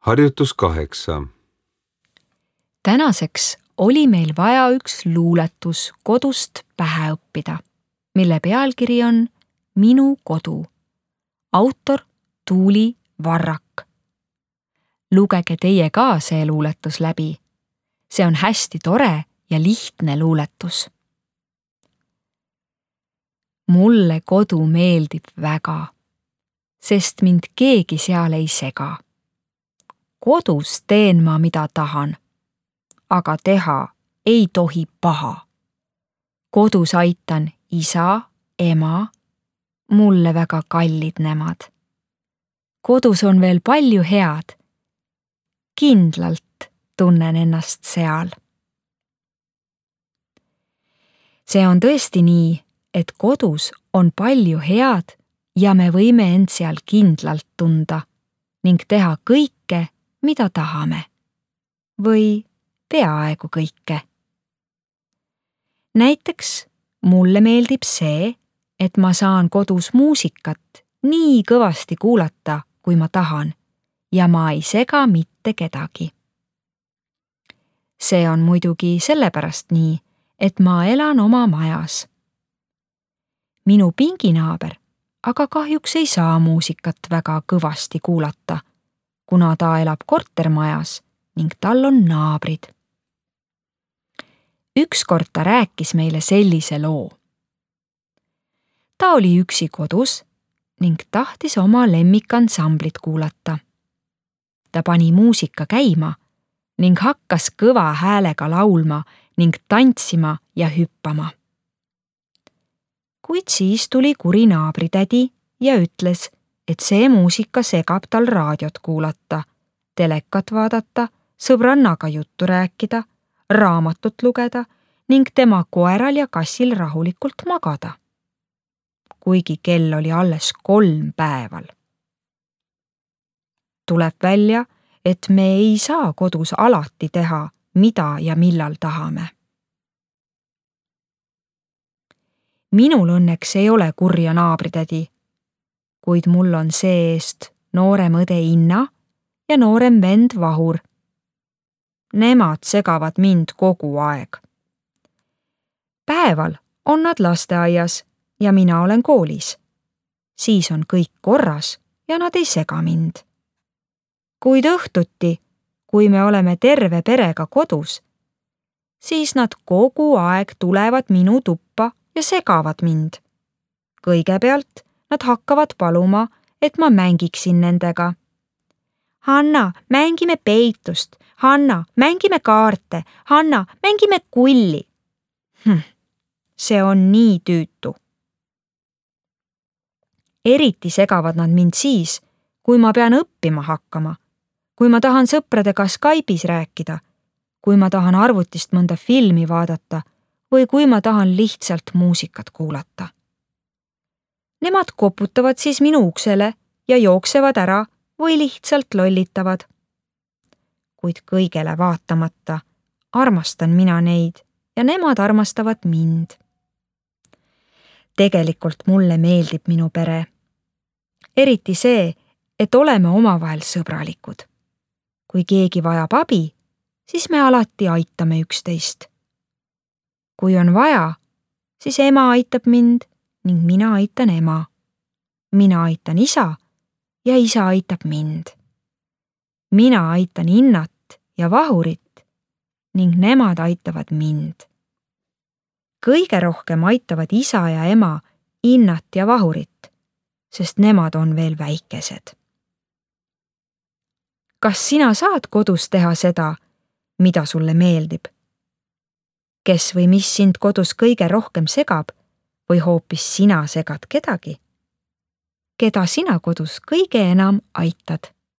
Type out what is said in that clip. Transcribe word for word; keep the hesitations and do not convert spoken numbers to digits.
Harjutus kaheksa. Tänaseks oli meil vaja üks luuletus kodust pähe õppida, mille pealkiri on Minu kodu. Autor Tuuli Varrak. Lugege teie ka see luuletus läbi. See on hästi tore ja lihtne luuletus. Mulle kodu meeldib väga, sest mind keegi seal ei sega. Kodus teen ma, mida tahan, aga teha ei tohi paha. Kodus aitan isa, ema, mulle väga kallid nemad. Kodus on veel palju head. Kindlalt tunnen ennast seal. See on tõesti nii, et kodus on palju head ja me võime end seal kindlalt tunda ning teha kõike, mida tahame. Või peaaegu kõike. Näiteks mulle meeldib see, et ma saan kodus muusikat nii kõvasti kuulata, kui ma tahan, ja ma ei sega mitte kedagi. See on muidugi sellepärast nii, et ma elan oma majas. Minu pinginaaber aga kahjuks ei saa muusikat väga kõvasti kuulata, kuna ta elab kortermajas ning tal on naabrid. Ükskord ta rääkis meile sellise loo. Ta oli üksi kodus ning tahtis oma lemmikansamblit kuulata. Ta pani muusika käima ning hakkas kõva häälega laulma ning tantsima ja hüppama. Kuid siis tuli kuri naabritädi ja ütles, et see muusika segab tal raadiot kuulata, telekat vaadata, sõbrannaga juttu rääkida, raamatut lugeda ning tema koeral ja kassil rahulikult magada. Kuigi kell oli alles kolm päeval. Tuleb välja, et me ei saa kodus alati teha, mida ja millal tahame. Minul õnneks ei ole kurja naabritädi, kuid mul on see-eest noorem õde Inna ja noorem vend Vahur. Nemad segavad mind kogu aeg. Päeval on nad lasteaias ja mina olen koolis. Siis on kõik korras ja nad ei sega mind. Kuid õhtuti, kui me oleme terve perega kodus, siis nad kogu aeg tulevad minu tuppa ja segavad mind. Kõigepealt nad hakkavad paluma, et ma mängiksin nendega. Hanna, mängime peitust. Hanna, mängime kaarte. Hanna, mängime kulli. Hm, see on nii tüütu. Eriti segavad nad mind siis, kui ma pean õppima hakkama, kui ma tahan sõpradega Skype'is rääkida, kui ma tahan arvutist mõnda filmi vaadata või kui ma tahan lihtsalt muusikat kuulata. Nemad koputavad siis minu uksele ja jooksevad ära või lihtsalt lollitavad. Kuid kõigele vaatamata armastan mina neid ja nemad armastavad mind. Tegelikult mulle meeldib minu pere. Eriti see, et oleme omavahel sõbralikud. Kui keegi vajab abi, siis me alati aitame üksteist. Kui on vaja, siis ema aitab mind ning mina aitan ema. Mina aitan isa ja isa aitab mind. Mina aitan Innat ja Vahurit ning nemad aitavad mind. Kõige rohkem aitavad isa ja ema Innat ja Vahurit, sest nemad on veel väikesed. Kas sina saad kodus teha seda, mida sulle meeldib? Kes või mis sind kodus kõige rohkem segab või hoopis sina segad kedagi? Keda sina kodus kõige enam aitad?